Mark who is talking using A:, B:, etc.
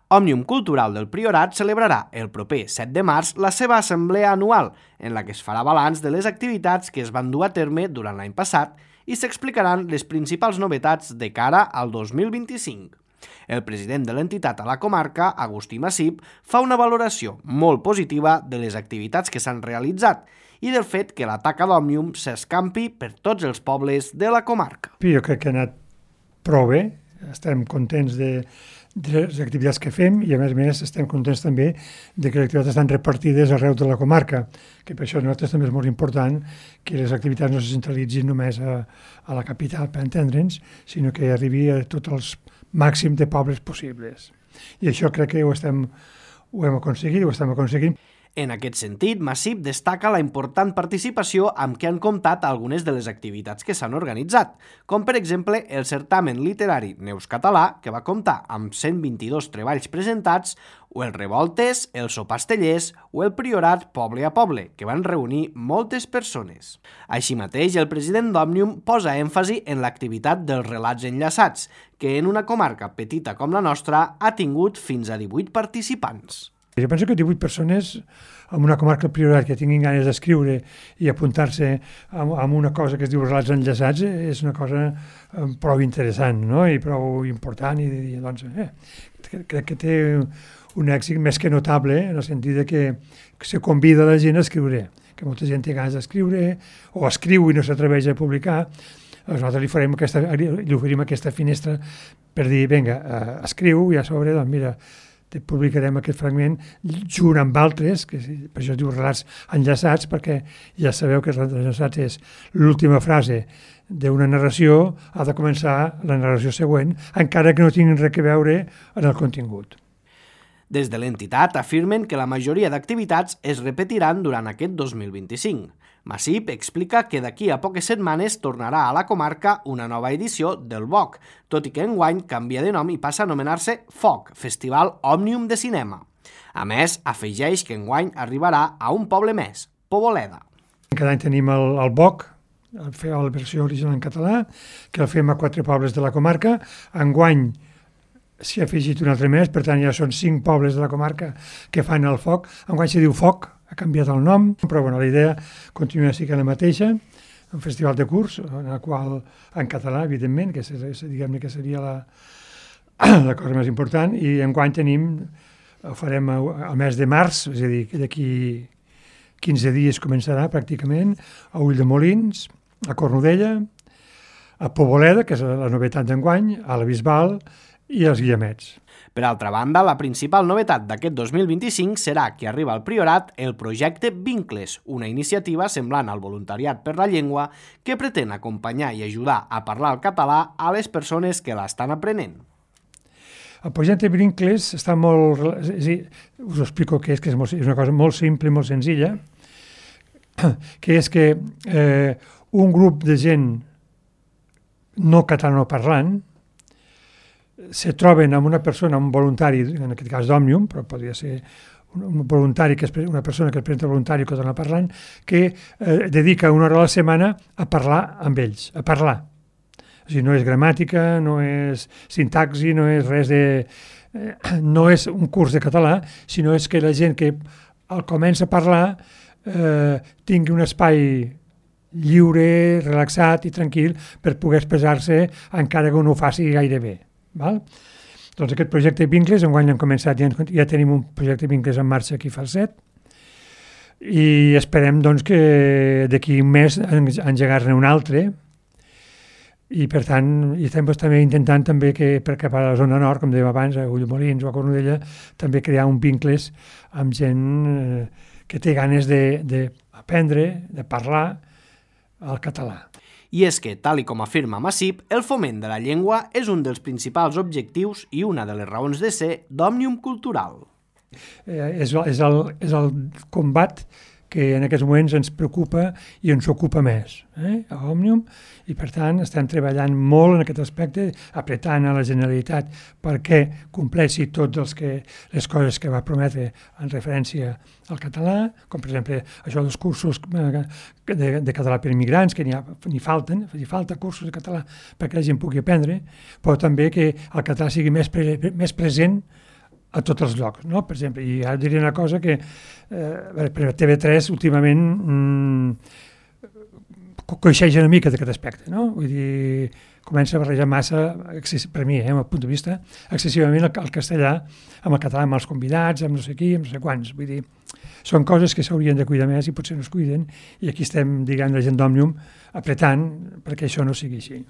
A: Òmnium Cultural del Priorat celebrarà el proper 7 de març la seva assemblea anual, en la que es farà balanç de les activitats que es van dur a terme durant l'any passat i s'explicaran les principals novetats de cara al 2025. El president de l'entitat a la comarca, Agustí Massip, fa una valoració molt positiva de les activitats que s'han realitzat i del fet que la taca d'Òmnium s'escampi per tots els pobles de la comarca.
B: Jo crec que ha anat prou bé, estem contents de les activitats que fem i a més estem contents també de que les activitats estan repartides arreu de la comarca, que per això nosaltres també és molt important que les activitats no se centralitzin només a la capital, per entendre'ns, sinó que arribi a tots els màxims de pobles possibles. I això crec que ho hem aconseguit, ho estem aconseguint.
A: En aquest sentit, Massip destaca la important participació amb què han comptat algunes de les activitats que s'han organitzat, com per exemple el certamen literari Neus Català, que va comptar amb 122 treballs presentats, o el Revoltes, el Sopastellers o el Priorat Poble a Poble, que van reunir moltes persones. Així mateix, el president d'Òmnium posa èmfasi en l'activitat dels relats enllaçats, que en una comarca petita com la nostra ha tingut fins a 18 participants.
B: Jo penso que 18 persones en una comarca del Priorat que tinguin ganes d'escriure i apuntar-se a una cosa que es diu relats enllaçats és una cosa prou interessant, no? I prou important i doncs crec que té un èxit més que notable en el sentit de que se convida la gent a escriure, que molta gent té ganes d'escriure o escriu i no s'atreveix a publicar. Nosaltres li oferim aquesta finestra per dir, vinga, escriu i a sobre, doncs mira, te publicarem aquest fragment junt amb altres, que per això es diu relats enllaçats, perquè ja sabeu que relats enllaçats és l'última frase d'una narració, ha de començar la narració següent, encara que no tinguin res a veure en el contingut.
A: Des de l'entitat afirmen que la majoria d'activitats es repetiran durant aquest 2025. Massip explica que d'aquí a poques setmanes tornarà a la comarca una nova edició del BOC, tot i que enguany canvia de nom i passa a anomenar-se FOC, Festival Òmnium de Cinema. A més, afegeix que enguany arribarà a un poble més, Poboleda.
B: Cada any tenim el BOC, la versió original en català, que el fem a 4 pobles de la comarca. Enguany s'hi ha afegit un altre més, per tant ja són 5 pobles de la comarca que fan el FOC. Enguany se diu FOC, ha canviat el nom, però bueno, la idea continua sent la mateixa, un festival de curs, en el qual, en català, evidentment, que diguem-ne que seria la cosa més important, i enguany ho farem al mes de març, és a dir, d'aquí 15 dies començarà pràcticament, a Ulldemolins, a Cornudella, a Poboleda, que és la novetat d'enguany, a la Bisbal i als Guillemets.
A: Per altra banda, la principal novetat d'aquest 2025 serà que arriba al Priorat el projecte Vincles, una iniciativa semblant al voluntariat per la llengua que pretén acompanyar i ajudar a parlar el català a les persones que l'estan aprenent.
B: El projecte Vincles està molt... us ho explico què és, que és una cosa molt simple i molt senzilla, que és que un grup de gent no catalanoparlant se troben amb una persona, un voluntari, en aquest cas d'Òmnium, però podria ser un voluntari, una persona que es presenta voluntari catalanoparlant, que dedica una hora a la setmana a parlar amb ells, a parlar. O sigui, no és gramàtica, no és sintaxi, no és res de... no és un curs de català, sinó és que la gent que comença a parlar tingui un espai lliure, relaxat i tranquil per poder expressar-se encara que no ho faci gaire bé. Val? Doncs aquest projecte Vincles, enguany hem començat, ja tenim un projecte Vincles en marxa aquí a Falset i esperem doncs, que d'aquí un mes engegar-ne un altre i per tant estem també intentant també que per cap a la zona nord, com dèiem abans, a Ulldemolins o a Cornudella, també crear un Vincles amb gent que té ganes d'aprendre, de parlar el català.
A: I és que, tal i com afirma Massip, el foment de la llengua és un dels principals objectius i una de les raons de ser d'Òmnium Cultural.
B: És el combat que en aquests moments ens preocupa i ens ocupa més a Òmnium, i per tant estem treballant molt en aquest aspecte, apretant a la Generalitat perquè compleixi totes les coses que va prometre en referència al català, com per exemple això dels cursos de català per immigrants, que n'hi falta cursos de català perquè la gent pugui aprendre, però també que el català sigui més present a tots els llocs, no? Per exemple, i ara diria una cosa que per TV3 últimament coixeix una mica d'aquest aspecte, no? Vull dir, comença a barrejar massa, per mi, el punt de vista, excessivament el castellà amb el català, amb els convidats, amb no sé qui, amb no sé quants. Vull dir, són coses que s'haurien de cuidar més i potser no es cuiden, i aquí estem, diguem, la gent d'Òmnium apretant perquè això no sigui així.